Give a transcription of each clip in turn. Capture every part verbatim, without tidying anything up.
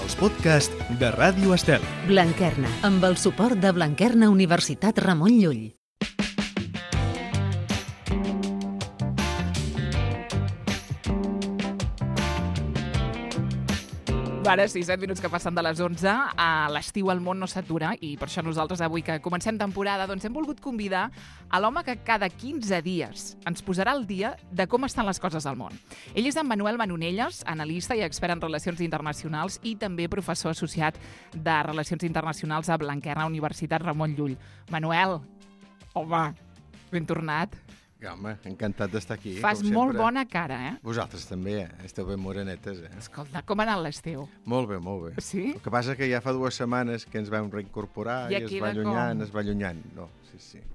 els podcasts de Ràdio Estel. Blanquerna, amb el suport de Blanquerna Universitat Ramon Llull. Ara sí, set minuts que passen de les onze. A l'estiu el món no s'atura i per això nosaltres avui que comencem temporada doncs hem volgut convidar a l'home que cada quinze dies ens posarà al dia de com estan les coses al món. Ell és en Manuel Manonelles, analista i expert en relacions internacionals i també professor associat de Relacions Internacionals a Blanquerna Universitat Ramon Llull. Manuel, home, ben tornat. Home, encantat d'estar aquí. Fas molt bona cara, eh? Vosaltres també, eh? Esteu ben morenetes, eh? Escolta, com ha anat l'estiu? Molt bé, molt bé. Sí? El que passa que ja fa dues setmanes que ens vam reincorporar i, I es va allunyant, com? es va allunyant. No, sí, sí.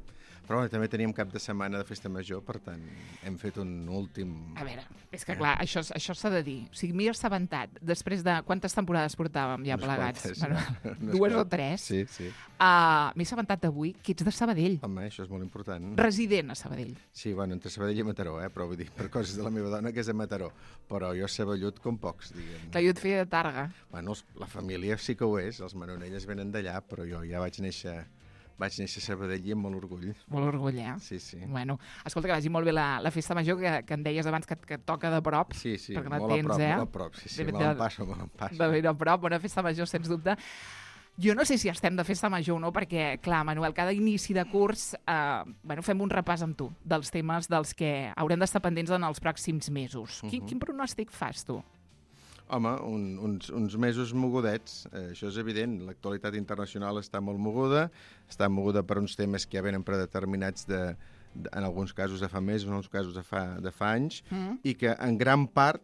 Però bueno, també teníem cap de setmana de festa major, per tant, hem fet un últim... A veure, és que clar, això, això s'ha de dir. O sigui, m'hi he assabentat després de... Quantes temporades portàvem ja Unes plegats? quantes, Bueno, ja. Unes dues o quantes. tres. Sí, sí. Uh, m'he assabentat avui que ets de Sabadell. Home, això és molt important. Resident a Sabadell. Sí, bueno, entre Sabadell i Mataró, eh? Però vull dir, per coses de la meva dona, que és de Mataró. Però jo sé vellut com pocs, diguem. Que jo et feia de Targa. Bueno, els- la família sí que ho és, els Manonelles venen d'allà, però jo ja vaig néixer... Vaig néixer a Sabadell i amb molt orgull. Molt orgull, eh? Sí, sí. Bueno, escolta, que vagi molt bé la, la festa major, que, que em deies abans que, que et toca de prop. Sí, sí, perquè la molt a tens, prop, eh? molt a prop. Sí, sí, De- me de- l'empasso, me l'empasso. De ben a prop, una festa major, sens dubte. Jo no sé si estem de festa major o no, perquè, clar, Manuel, cada inici de curs eh, bueno, fem un repàs amb tu dels temes dels que haurem d'estar pendents en els pròxims mesos. Uh -huh. quin, quin pronòstic fas, tu? Home, un, uns, uns mesos mogudets, eh, això és evident. L'actualitat internacional està molt moguda, està moguda per uns temes que ja venen predeterminats de, de, en alguns casos de fa mesos, en alguns casos de fa, de fa anys, Mm. i que en gran part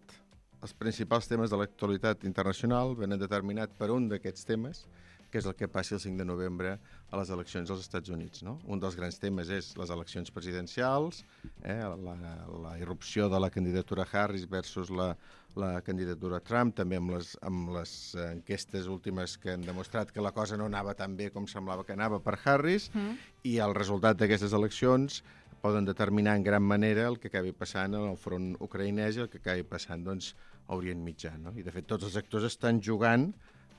els principals temes de l'actualitat internacional venen determinats per un d'aquests temes, que és el que passi el cinc de novembre a les eleccions als Estats Units. No? Un dels grans temes és les eleccions presidencials, eh, la, la irrupció de la candidatura Harris versus la, la candidatura Trump, també amb les, amb les enquestes últimes que han demostrat que la cosa no anava tan bé com semblava que anava per Harris, Mm. i el resultat d'aquestes eleccions poden determinar en gran manera el que acabi passant en el front ucraïnès i el que acabi passant doncs, a Orient Mitjà. No? I, de fet, tots els actors estan jugant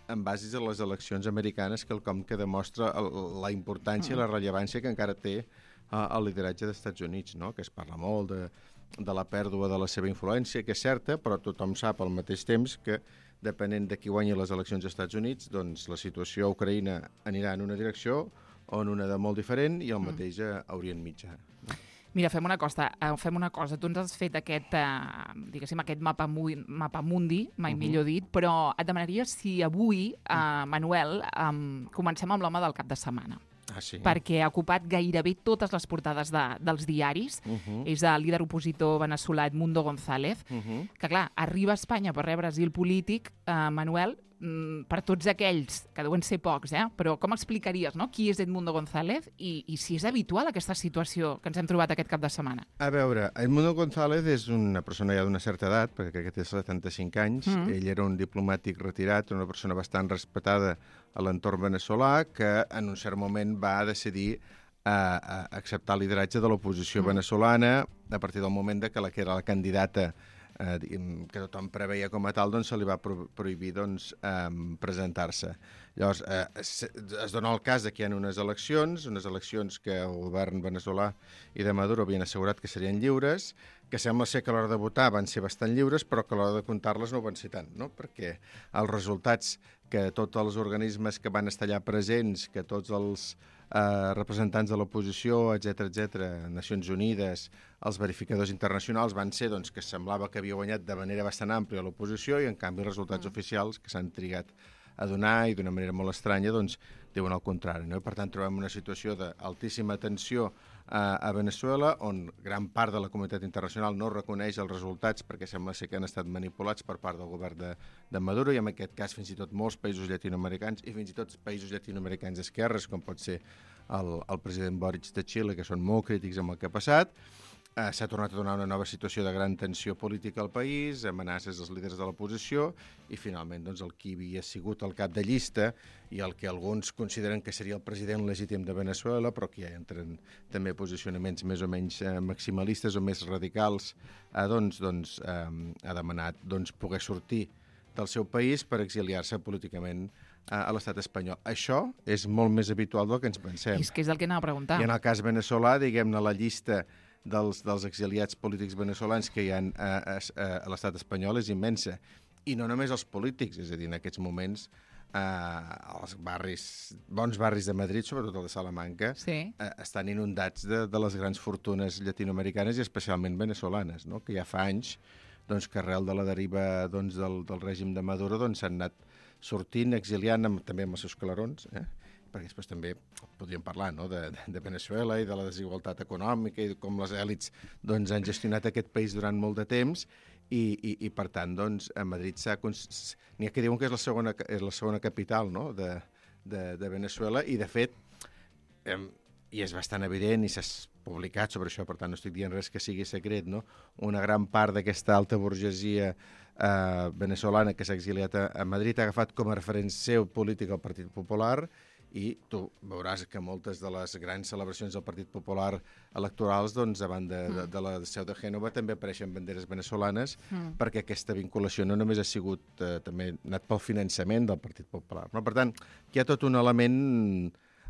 en basis a les eleccions americanes, quelcom que demostra el, la importància i la rellevància que encara té uh, el lideratge dels Estats Units, no? Que es parla molt de, de la pèrdua de la seva influència, que és certa, però tothom sap al mateix temps que, depenent de qui guanyi les eleccions als Estats Units, doncs la situació a Ucraïna anirà en una direcció o en una de molt diferent, i el mateix a Orient Mitjà. Mira, fem una cosa, eh, fem una cosa. Tu ens has fet aquest, eh, diguéssim, aquest mapa, mu mapa mundi, mai uh -huh. millor dit, però et demanaria si avui, eh, Manuel, eh, comencem amb l'home del cap de setmana. Ah, sí? Perquè ha ocupat gairebé totes les portades de, dels diaris. Uh -huh. És el líder opositor veneçolà Edmundo González, Uh -huh. que, clar, arriba a Espanya per rebre asil polític, eh, Manuel, mm, per tots aquells, que deuen ser pocs, eh? Però com explicaries, no?, qui és Edmundo González i, i si és habitual aquesta situació que ens hem trobat aquest cap de setmana? A veure, Edmundo González és una persona ja d'una certa edat, perquè crec que té setanta-cinc anys. Mm. Ell era un diplomàtic retirat, una persona bastant respetada a l'entorn veneçolà, que en un cert moment va decidir a, a acceptar el lideratge de l'oposició Mm. veneçolana a partir del moment de que la que era la candidata eh, diguem, que tothom preveia com a tal, doncs se li va pro prohibir doncs, eh, presentar-se. Llavors, eh, es, es dona el cas de que hi ha unes eleccions, unes eleccions que el govern veneçolà i de Maduro havien assegurat que serien lliures, que sembla ser que a l'hora de votar van ser bastant lliures, però que a l'hora de comptar-les no ho van ser tant, no? Perquè els resultats que tots els organismes que van estar allà presents, que tots els eh, representants de l'oposició, etcètera, etcètera, Nacions Unides, els verificadors internacionals, van ser doncs, que semblava que havia guanyat de manera bastant àmplia l'oposició, i en canvi els resultats mm. oficials que s'han trigat a donar i d'una manera molt estranya doncs, diuen el contrari. No? I per tant trobem una situació d'altíssima tensió a, a Veneçuela, on gran part de la comunitat internacional no reconeix els resultats perquè sembla ser que han estat manipulats per part del govern de, de Maduro, i en aquest cas fins i tot molts països llatinoamericans i fins i tot països llatinoamericans d'esquerres, com pot ser el, el president Boric de Xile, que són molt crítics amb el que ha passat. Eh, S'ha tornat a donar una nova situació de gran tensió política al país, amenaces als líders de l'oposició, i finalment doncs, el qui havia sigut el cap de llista i el que alguns consideren que seria el president legítim de Veneçuela, però que ja entren també posicionaments més o menys eh, maximalistes o més radicals, eh, doncs, doncs, eh, ha demanat doncs, poder sortir del seu país per exiliar-se políticament a, a l'estat espanyol. Això és molt més habitual del que ens pensem. I és que és el que anava a preguntar. I en el cas veneçolà, diguem-ne, la llista dels, dels exiliats polítics veneçolans que hi ha a, a, a l'estat espanyol és immensa. I no només els polítics, és a dir, en aquests moments eh, els barris, bons barris de Madrid, sobretot el de Salamanca, sí. eh, estan inundats de, de les grans fortunes llatinoamericanes i especialment venezolanes, no? Que ja fa anys doncs, que arrel de la deriva doncs, del, del règim de Maduro s'han doncs, anat sortint, exiliant, amb, també amb els seus clarons, eh? Perquè després també podríem parlar no? de, de Veneçuela i de la desigualtat econòmica i com les èlits doncs, han gestionat aquest país durant molt de temps i, i, i per tant, doncs, a Madrid s'ha... N'hi ha que diuen que és la segona, és la segona capital no? de, de, de Veneçuela i, de fet, eh, i és bastant evident i s'ha publicat sobre això, per tant no estic dient res que sigui secret, no? Una gran part d'aquesta alta burgesia eh, venezolana que s'ha exiliat a, a Madrid ha agafat com a referent seu polític el Partit Popular i tu veuràs que moltes de les grans celebracions del Partit Popular electorals, doncs, davant de, de, de la seu de Gènova també apareixen banderes venezolanes mm. perquè aquesta vinculació no només ha sigut, eh, també anat pel finançament del Partit Popular. No? Per tant, hi ha tot un element,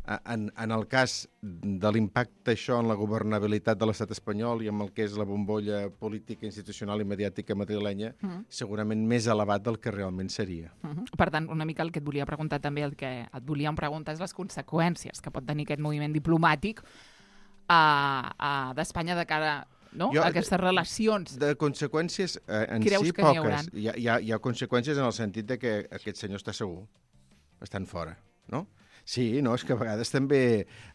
en, en el cas de l'impacte això en la governabilitat de l'estat espanyol i amb el que és la bombolla política, institucional i mediàtica madrilenya, mm. segurament més elevat del que realment seria. Mm-hmm. Per tant, una mica el que et volia preguntar també, el que et volíem preguntar és les conseqüències que pot tenir aquest moviment diplomàtic a, a, d'Espanya de cara no? Jo, a aquestes relacions. De conseqüències eh, en Creus si que n'hi poques. Hi ha, hi, ha, hi ha conseqüències en el sentit de que aquest senyor està segur, estan fora, no? Sí, no, és que a vegades també...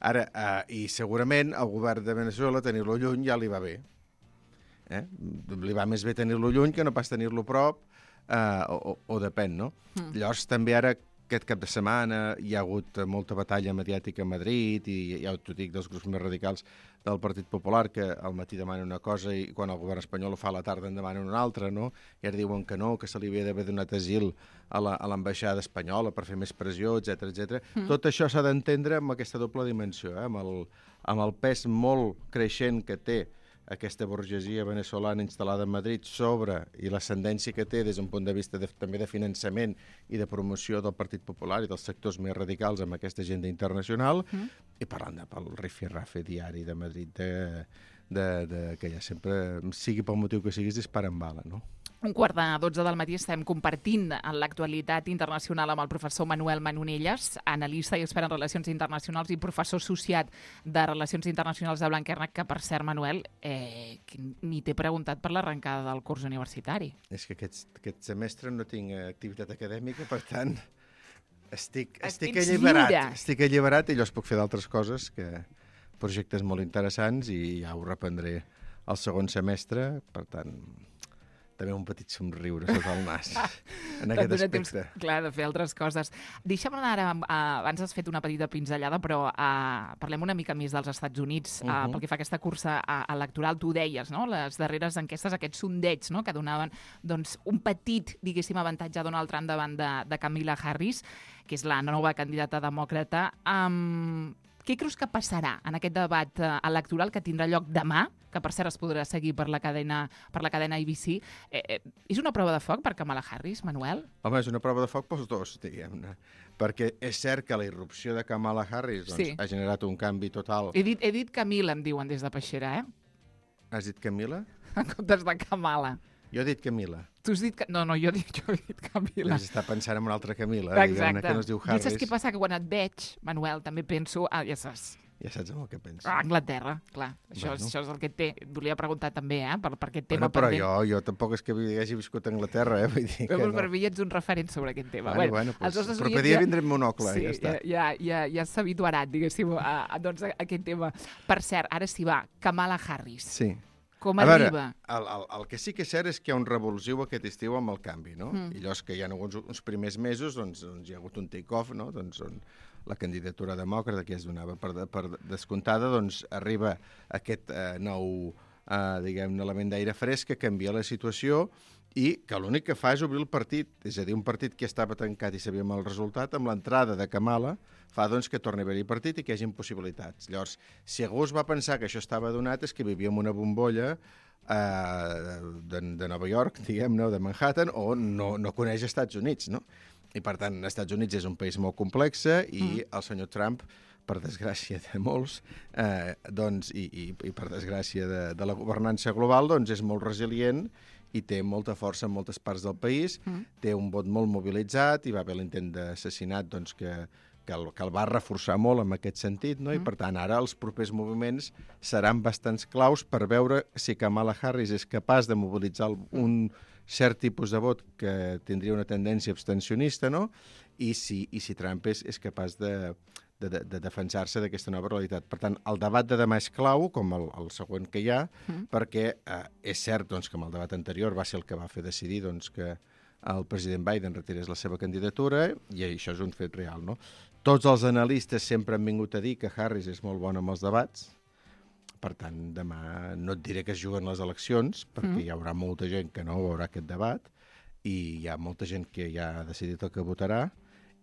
Ara, eh, i segurament al govern de Veneçuela tenir-lo lluny ja li va bé. Eh? Li va més bé tenir-lo lluny que no pas tenir-lo prop, eh, o, o depèn, no? Mm. Llavors, també ara, aquest cap de setmana, hi ha hagut molta batalla mediàtica a Madrid i ja t'ho dic dels grups més radicals del Partit Popular, que al matí demanen una cosa i quan el govern espanyol ho fa a la tarda en demanen una altra, no? I ara diuen que no, que se li havia d'haver donat asil a l'ambaixada espanyola per fer més pressió, etcètera, etcètera. Mm. Tot això s'ha d'entendre amb aquesta doble dimensió, eh? amb, el, amb el pes molt creixent que té aquesta burgesia venezolana instal·lada a Madrid sobre i l'ascendència que té des d'un punt de vista de, també de finançament i de promoció del Partit Popular i dels sectors més radicals amb aquesta agenda internacional, mm. i parlant de pel rifirrafe diari de Madrid de, de, de, que ja sempre, sigui pel motiu que siguis, disparen bala, no? Un quart de dotze del matí estem compartint l'actualitat internacional amb el professor Manuel Manonelles, analista i expert en relacions internacionals i professor associat de Relacions Internacionals de Blanquerna, que, per cert, Manuel, eh, ni t'he preguntat per l'arrencada del curs universitari. És que aquest, aquest semestre no tinc activitat acadèmica, per tant, estic, estic alliberat. Lliure. Estic alliberat i llavors puc fer d'altres coses, que projectes molt interessants, i ja ho reprendré el segon semestre, per tant... també un petit somriure sota el nas en aquest aspecte. Temps, clar, de fer altres coses. Deixa'm anar ara, uh, abans has fet una petita pinzellada, però uh, parlem una mica més dels Estats Units, uh, uh-huh. pel que fa a aquesta cursa uh, electoral. Tu deies, no?, les darreres enquestes, aquests sondeigs, no?, que donaven doncs, un petit, diguéssim, avantatge a Donald Trump davant de, de Kamala Harris, que és la nova candidata demòcrata. Um, Què creus que passarà en aquest debat uh, electoral que tindrà lloc demà, que per cert es podrà seguir per la cadena, per la cadena A B C? Eh, eh, és una prova de foc per Kamala Harris, Manuel? Home, és una prova de foc pels dos, diguem-ne. Perquè és cert que la irrupció de Kamala Harris doncs, sí. ha generat un canvi total. He dit, he dit Camila, em diuen des de Peixera, eh? Has dit Camila? En comptes de Kamala. Jo he dit Camila. Tu has dit... Que... No, no, jo, dic, jo he dit Camila. Deus estar pensant en una altra Camila, exacte. Que no es diu Harris. I saps què passa? Que quan et veig, Manuel, també penso... Ah, ja saps. Ja saps en el que penso. Ah, Anglaterra, clar. Això, bueno. això és el que té. Et volia preguntar també, eh, per, per aquest tema. Bueno, però jo, jo tampoc és que hagi viscut a Anglaterra, eh? Vull dir que però no. Per mi ets un referent sobre aquest tema. Bueno, bueno, bueno pues, però per dia ja... vindré amb monocle, sí, ja està. Ja, ja, ja s'ha habituarat, diguéssim, a, a, doncs, a aquest tema. Per cert, ara sí va, Kamala Harris. Sí. Com a arriba? Veure, el, el, el que sí que és cert és que hi ha un revulsiu aquest estiu amb el canvi, no? Mm. I llavors que hi ha uns, uns primers mesos, doncs, doncs hi ha hagut un take-off, no? Doncs on la candidatura demòcrata, que es donava per, per descomptada, doncs arriba aquest eh, nou, eh, diguem-ne, element d'aire fresc que canvia la situació i que l'únic que fa és obrir el partit, és a dir, un partit que estava tancat i sabíem el resultat, amb l'entrada de Kamala, fa doncs que torni a haver-hi partit i que hi hagi possibilitats. Llavors, si algú es va pensar que això estava donat és que vivíem una bombolla uh, de, de Nova York, diguem-ne, o de Manhattan, o no, no coneix Estats Units, no? I, per tant, Estats Units és un país molt complex i mm. el senyor Trump, per desgràcia de molts, eh, doncs, i, i, i per desgràcia de, de la governança global, doncs és molt resilient i té molta força en moltes parts del país, mm. té un vot molt mobilitzat, i va haver l'intent d'assassinat doncs, que, que, el, que el va reforçar molt en aquest sentit, no? Mm. I per tant ara els propers moviments seran bastants claus per veure si Kamala Harris és capaç de mobilitzar un cert tipus de vot que tindria una tendència abstencionista, no? I si, i si Trump és, és capaç de, de, de, de defensar-se d'aquesta nova realitat. Per tant, el debat de demà és clau, com el, el següent que hi ha, mm. perquè eh, és cert doncs, que amb el debat anterior va ser el que va fer decidir doncs, que el president Biden retirés la seva candidatura, i això és un fet real, no? Tots els analistes sempre han vingut a dir que Harris és molt bona amb els debats. Per tant, demà no et diré que es juguen les eleccions, perquè mm. hi haurà molta gent que no veurà aquest debat, i hi ha molta gent que ja ha decidit el que votarà,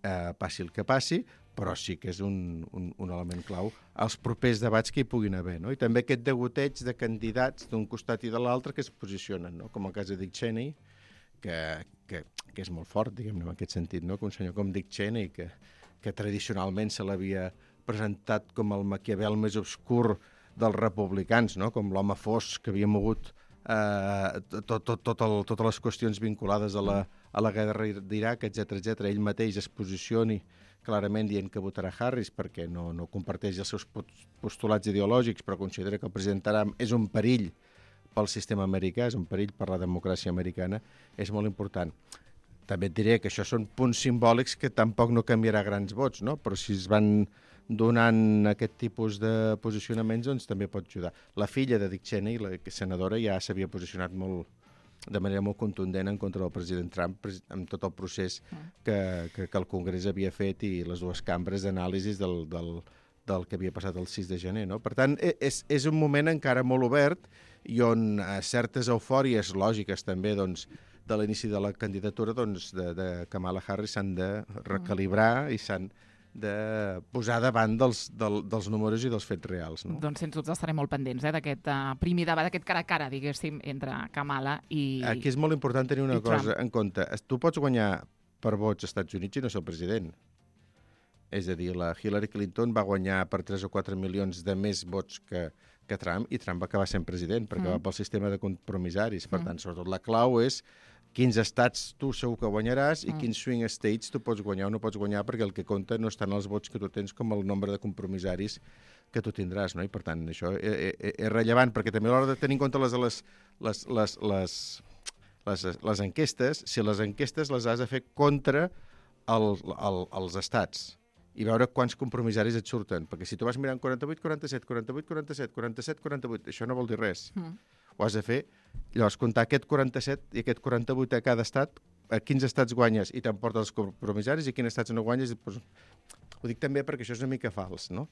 eh, passi el que passi, però sí que és un, un, un element clau als propers debats que hi puguin haver, no? I també aquest degoteig de candidats d'un costat i de l'altre que es posicionen, no? Com el cas de Dick Cheney, que, que, que és molt fort, diguem-ne, en aquest sentit, no? Que un senyor com Dick Cheney, que, que tradicionalment se l'havia presentat com el Maquiavel més obscur dels republicans, no? Com l'home fosc que havia mogut eh, tot, tot, tot el, totes les qüestions vinculades a la, a la guerra d'Iraq, etcètera, etcètera. Ell mateix es posicioni clarament dient que votarà Harris perquè no, no comparteix els seus postulats ideològics, però considera que el president Trump és un perill pel sistema americà, és un perill per la democràcia americana, és molt important. També et diré que això són punts simbòlics que tampoc no canviarà grans vots, no? Però si es van donant aquest tipus de posicionaments, doncs també pot ajudar. La filla de Dick Cheney, la senadora, ja s'havia posicionat molt, de manera molt contundent en contra del president Trump amb tot el procés que, que, que el Congrés havia fet i les dues cambres d'anàlisis del, del, del que havia passat el sis de gener. No? Per tant, és, és un moment encara molt obert i on eh, certes eufòries lògiques també doncs, de l'inici de la candidatura doncs, de, de Kamala Harris s'han de recalibrar i s'han de posar davant dels, del, dels números i dels fets reals. No? Doncs sens dubte estarem molt pendents eh, d'aquest uh, primer debat, d'aquest cara a cara, diguéssim, entre Kamala i Aquí és molt important tenir una cosa Trump. En compte. Tu pots guanyar per vots als Estats Units i no ser el president. És a dir, la Hillary Clinton va guanyar per tres o quatre milions de més vots que, que Trump, i Trump va acabar sent president, perquè mm. va pel sistema de compromissaris. Per mm. tant, sobretot la clau és quins estats tu segur que guanyaràs i mm. quins swing states tu pots guanyar o no pots guanyar, perquè el que compta no estan els vots que tu tens com el nombre de compromissaris que tu tindràs, no? I per tant això és, és rellevant, perquè també a l'hora de tenir en compte les, les, les, les, les, les, les enquestes, si les enquestes les has de fer contra el, el, els estats i veure quants compromissaris et surten, perquè si tu vas mirant quaranta-vuit, quaranta-set, quaranta-vuit, quaranta-set, quaranta-set, quaranta-vuit, això no vol dir res. Mm. Ho has de fer, llavors comptar aquest quaranta-set i aquest quaranta-vuit a cada estat, a quins estats guanyes i t'emportes els compromissaris i quins estats no guanyes. Doncs, ho dic també perquè això és una mica fals, no?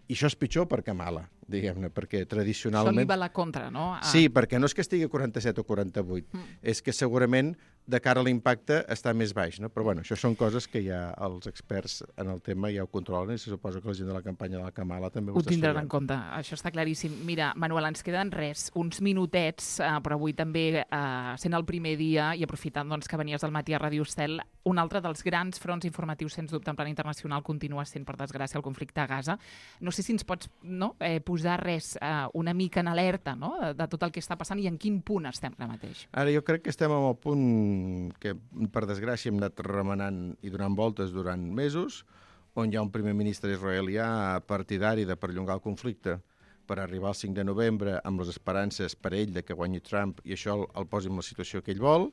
I això és pitjor per Kamala, diguem-ne, perquè tradicionalment... Això li va a la contra, no? Ah. Sí, perquè no és que estigui a quaranta-set o quaranta-vuit, mm. és que segurament de cara a l'impacte està més baix, no? Però bueno, això són coses que ja els experts en el tema ja ho controlen i se suposa que la gent de la campanya de la Kamala també ho, ho tindran en compte, això està claríssim. Mira, Manuel, ens queden res, uns minutets, eh, però avui també, eh, sent el primer dia i aprofitant doncs, que venies del matí a Ràdio Estel, un altre dels grans fronts informatius, sens dubte, en plan internacional, continua sent, per desgràcia, el conflicte a Gaza. No sé si ens pots no, eh, posar res eh, una mica en alerta no? de, de tot el que està passant i en quin punt estem ara mateix. Ara jo crec que estem en el punt que, per desgràcia, hem anat remenant i donant voltes durant mesos, on hi ha un primer ministre israelià partidari de perllongar el conflicte per arribar al cinc de novembre amb les esperances per ell de que guanyi Trump i això el, el posi en la situació que ell vol,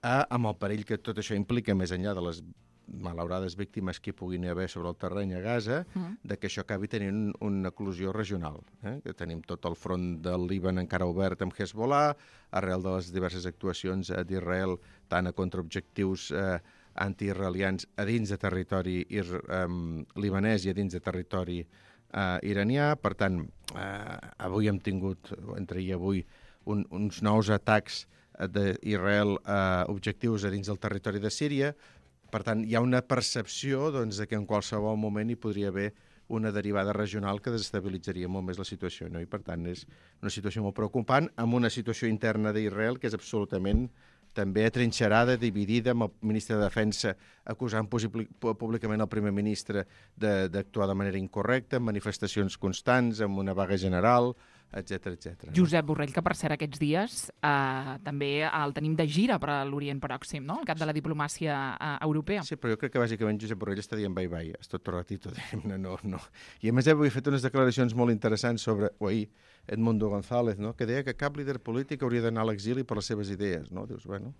eh, amb el perill que tot això implica més enllà de les malaurades víctimes que hi puguin haver sobre el terreny a Gaza, mm. de que això acabi tenint una eclosió regional. Eh? Que tenim tot el front del Líban encara obert amb Hezbollah, arrel de les diverses actuacions d'Israel, tant a contraobjectius eh, anti-israelians a dins de territori ir, eh, libanès i a dins de territori eh, iranià. Per tant, eh, avui hem tingut, entre ahir i avui, un, uns nous atacs d'Israel a eh, objectius a dins del territori de Síria. Per tant, hi ha una percepció doncs, de que en qualsevol moment hi podria haver una derivada regional que desestabilitzaria molt més la situació, no? I per tant és una situació molt preocupant, amb una situació interna d'Israel que és absolutament també atrinxerada, dividida, amb el ministre de Defensa acusant públicament el primer ministre d'actuar de, de manera incorrecta, amb manifestacions constants, amb una vaga general, etcètera, etcètera. Josep Borrell, que per cert aquests dies eh, també el tenim de gira per a l'Orient Pròxim, no? El cap de la diplomàcia eh, europea. Sí, però jo crec que bàsicament Josep Borrell està dient bye-bye, és tot ratito, diguem-ne, no, no. I a més avui he fet unes declaracions molt interessants sobre, o ahir, Edmundo González, no? Que deia que cap líder polític hauria d'anar a l'exili per les seves idees, no? Dius, bueno,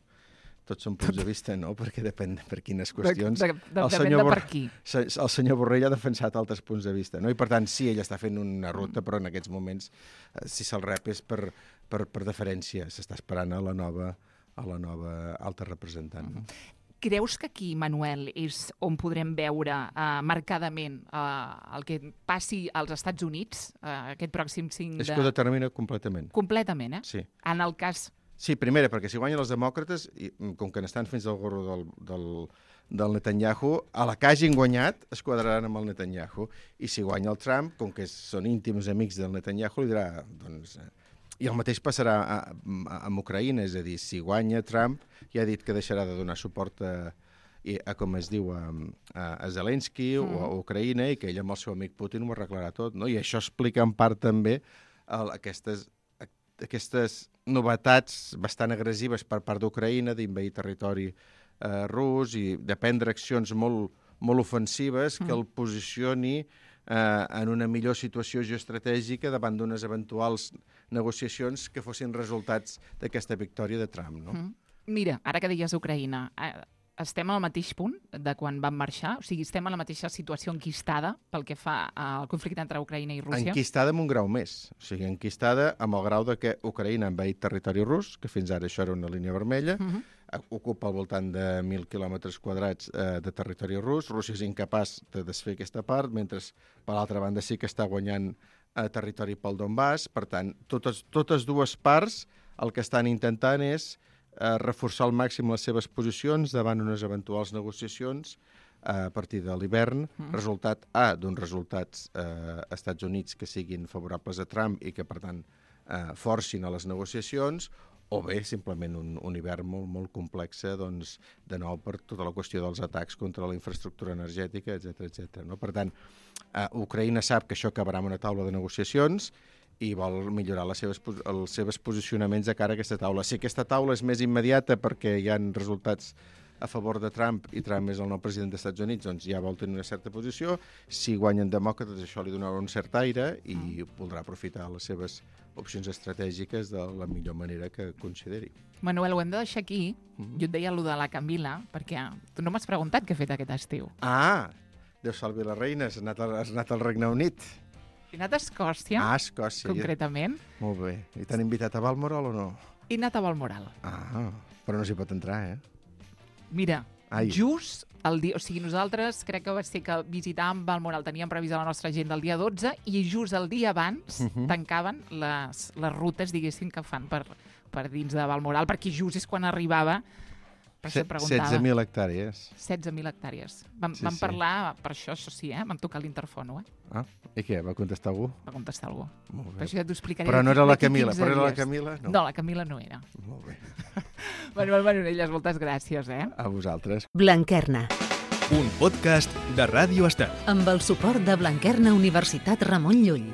tots són punts de vista, no? Perquè depèn per quines qüestions. De, de, de, depèn de per qui. El senyor Borrell ha defensat altres punts de vista, no? I per tant, sí, ell està fent una ruta, però en aquests moments, eh, si se'l rep és per, per, per deferència, s'està esperant a la nova, a la nova alta representant. Mm-hmm. Creus que aquí, Manuel, és on podrem veure eh, marcadament eh, el que passi als Estats Units eh, aquest pròxim cinc de... És que ho determina completament. Completament, eh? Sí. En el cas... Sí, primera, perquè si guanyen els demòcrates, i, com que n'estan fins al gorro del, del, del Netanyahu, a la que hagin guanyat es quadraran amb el Netanyahu. I si guanya el Trump, com que són íntims amics del Netanyahu, li dirà... Doncs, eh, i el mateix passarà a, a, amb Ucraïna, és a dir, si guanya Trump, ja ha dit que deixarà de donar suport a, a com es diu, a, a Zelensky mm. o a Ucraïna, i que ell amb el seu amic Putin ho arreglarà tot, no? I això explica en part també el, aquestes, aquestes novetats bastant agressives per part d'Ucraïna, d'invair territori eh, rus i de prendre accions molt, molt ofensives que mm. el posicioni eh, en una millor situació geoestratègica davant d'unes eventuals negociacions que fossin resultats d'aquesta victòria de Trump, no? Mm. Mira, ara que deies Ucraïna, eh, estem al mateix punt de quan van marxar? O sigui, estem a la mateixa situació enquistada pel que fa al conflicte entre Ucraïna i Rússia? Enquistada amb un grau més. O sigui, enquistada amb el grau de que Ucraïna ha envaït territori rus, que fins ara això era una línia vermella, uh-huh. ocupa al voltant de mil quilòmetres quadrats eh, de territori rus. Rússia és incapaç de desfer aquesta part, mentre per l'altra banda sí que està guanyant a territori pel Donbass. Per tant, totes, totes dues parts el que estan intentant és eh, reforçar al màxim les seves posicions davant unes eventuals negociacions eh, a partir de l'hivern, mm. resultat A, d'uns resultats eh, als Estats Units que siguin favorables a Trump i que, per tant, eh, forcin a les negociacions, o bé simplement un, un hivern molt, molt complex, doncs, de nou per tota la qüestió dels atacs contra la infraestructura energètica, etcètera, etcètera. No? Per tant, eh, Ucraïna sap que això acabarà amb una taula de negociacions i vol millorar les seves, els seus posicionaments de cara a aquesta taula. Si aquesta taula és més immediata perquè hi ha resultats a favor de Trump i Trump és el nou president dels Estats Units, doncs ja vol tenir una certa posició. Si guanyen demòcrates, això li donarà un cert aire i voldrà aprofitar les seves opcions estratègiques de la millor manera que consideri. Manuel, ho hem de deixar aquí. Mm-hmm. Jo et deia allò de la Camila, perquè tu no m'has preguntat què he fet aquest estiu. Ah, Déu salvi la reina, has anat, al, has anat al Regne Unit. He anat a Escòcia, ah, Escòcia, concretament. Ja. Molt bé. I t'han invitat a Balmoral o no? He anat a Balmoral. Ah, però no s'hi pot entrar, eh? Mira, Ai. just el dia... O sigui, nosaltres crec que va ser que visitàvem Balmoral, teníem previst a la nostra agenda el dia dotze i just el dia abans uh-huh. tancaven les, les rutes, diguéssim, que fan per, per dins de Balmoral, perquè just és quan arribava... setze mil hectàrees. setze mil hectàrees. Vam, sí, vam sí. parlar, per això, això sí, eh? Vam tocar l'interfono, eh? Ah, i què? Va contestar algú? Va contestar algú. Molt bé. Per això ja t'ho explicaré. Però no era la Camila, però era la Camila? No. no, la Camila no era. Molt bé. Manuel Manonelles, moltes gràcies, eh? A vosaltres. Blanquerna. Un podcast de Ràdio Estel. Amb el suport de Blanquerna Universitat Ramon Llull.